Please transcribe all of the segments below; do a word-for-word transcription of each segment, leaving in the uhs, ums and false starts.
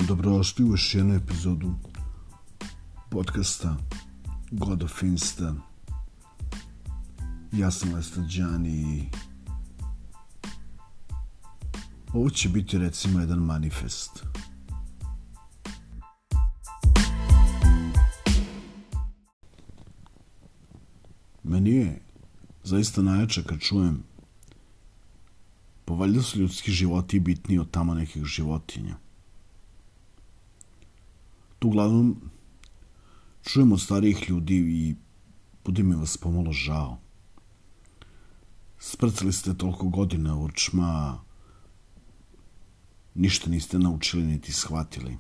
Dobrodošli u još jednu epizodu podcasta God of Insta. Ja sam Lester Đani i ovo će biti recimo jedan manifest. Meni je zaista najjače kad čujem pa valjda su ljudski životi bitniji od tamo nekih životinja. Tu uglavnom čujem od starijih ljudi i bude mi vas pomalo žao. Sprcali ste toliko godina u určma, ništa niste naučili niti shvatili.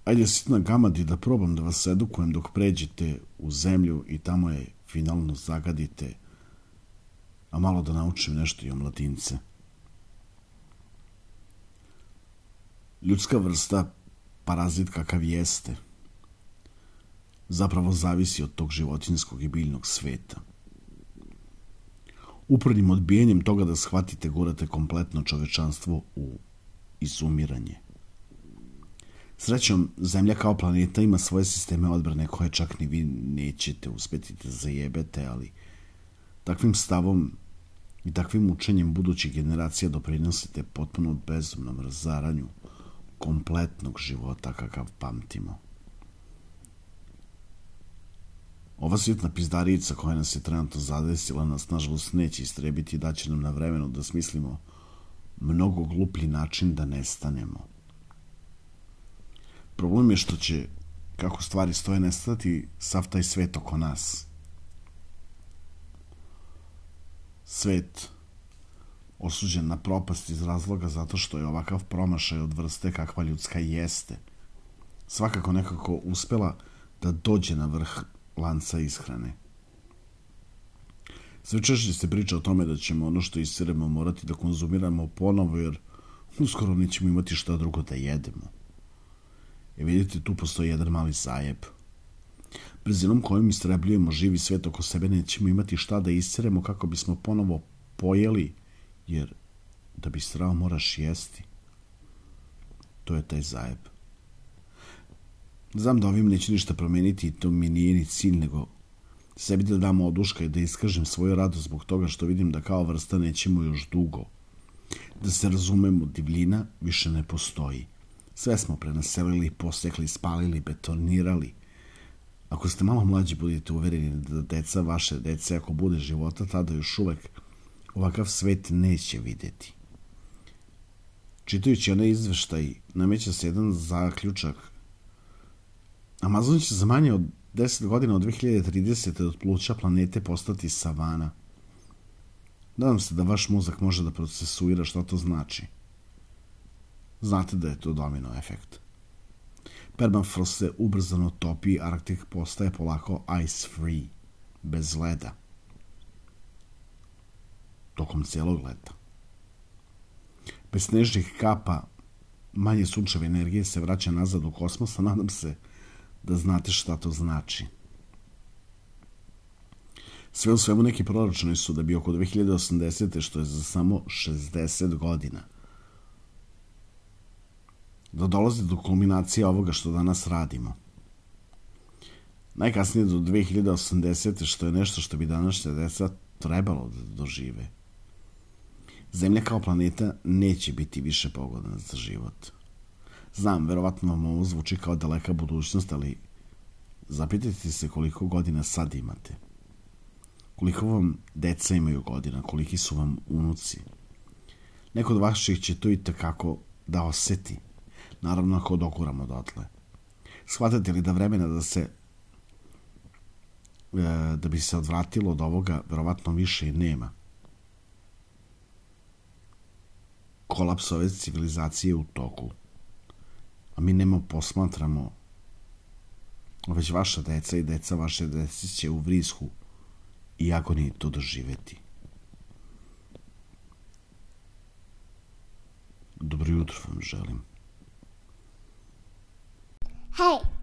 Ajde sitna gamadi da probam da vas edukujem dok pređete u zemlju i tamo je finalno zagadite, a malo da naučim nešto i o mladince. Ljudska vrsta, parazit kakav jeste, zapravo zavisi od tog životinjskog i biljnog sveta. Upornim odbijanjem toga da shvatite gurate kompletno čovečanstvo u izumiranje. Srećom, Zemlja kao planeta ima svoje sisteme odbrane koje čak ni vi nećete uspjeti da zajebete, ali takvim stavom i takvim učenjem budućih generacija doprinosite potpuno bezumnom razaranju kompletnog života kakav pamtimo. Ova svjetna pizdarica koja nas je trenutno zadesila nas nažalost neće istrebiti i daće nam na vremenu da smislimo mnogo gluplji način da nestanemo. Problem je što će, kako stvari stoje, nestati sav taj svet oko nas. Svet osuđen na propast iz razloga zato što je ovakav promašaj od vrste kakva ljudska jeste svakako nekako uspela da dođe na vrh lanca ishrane. Sve češće se priča o tome da ćemo ono što isiremo morati da konzumiramo ponovo jer uskoro nećemo imati šta drugo da jedemo. I vidite, tu postoji jedan mali zajeb. Brzinom kojom istrebljujemo živi svet oko sebe nećemo imati šta da isiremo kako bismo ponovo pojeli, jer da bi strao moraš jesti. To je taj zajeb. Znam da ovim neće ništa promeniti i to mi nije ni cilj, nego sebi da dam oduška i da iskažem svoju radost zbog toga što vidim da kao vrsta nećemo još dugo. Da se razumemo, divljina više ne postoji. Sve smo prenaselili, posekli, spalili, betonirali. Ako ste malo mlađi, budete uvereni da deca vaše dece, ako bude života, tada još uvek ovakav svet neće vidjeti. Čitajući onaj izveštaj, nameće se jedan zaključak. Amazon će za manje od deset godina od dve hiljade tridesete od pluća planete postati savana. Nadam se da vaš mozak može da procesuira šta to znači. Znate da je to domino efekt. Permafrost se ubrzano topi, Arktik postaje polako ice free, bez leda. Tokom cijelog leta. Bez snežnih kapa, manje sunčeve energije se vraća nazad u kosmos, a nadam se da znate šta to znači. Sve u svemu neki proročeni su da bi oko dve hiljade osamdesete, što je za samo šezdeset godina, da dolazi do kulminacije ovoga što danas radimo. Najkasnije do dve hiljade osamdesete, što je nešto što bi današnja deca trebalo da dožive. Zemlja kao planeta neće biti više pogodna za život. Znam, verovatno vam ovo zvuči kao daleka budućnost, ali zapitajte se koliko godina sad imate. Koliko vam deca imaju godina, koliki su vam unuci. Neko od vaših će to i takako da oseti. Naravno ako dokuramo dotle. Shvatate li da vremena da se da bi se odvratilo od ovoga verovatno više i nema. Kolaps ove civilizacije u toku. A mi nemo posmatramo, već vaša deca i deca vaše dece će u vrisku i agoniji to doživeti. Dobro jutro vam želim. Hey!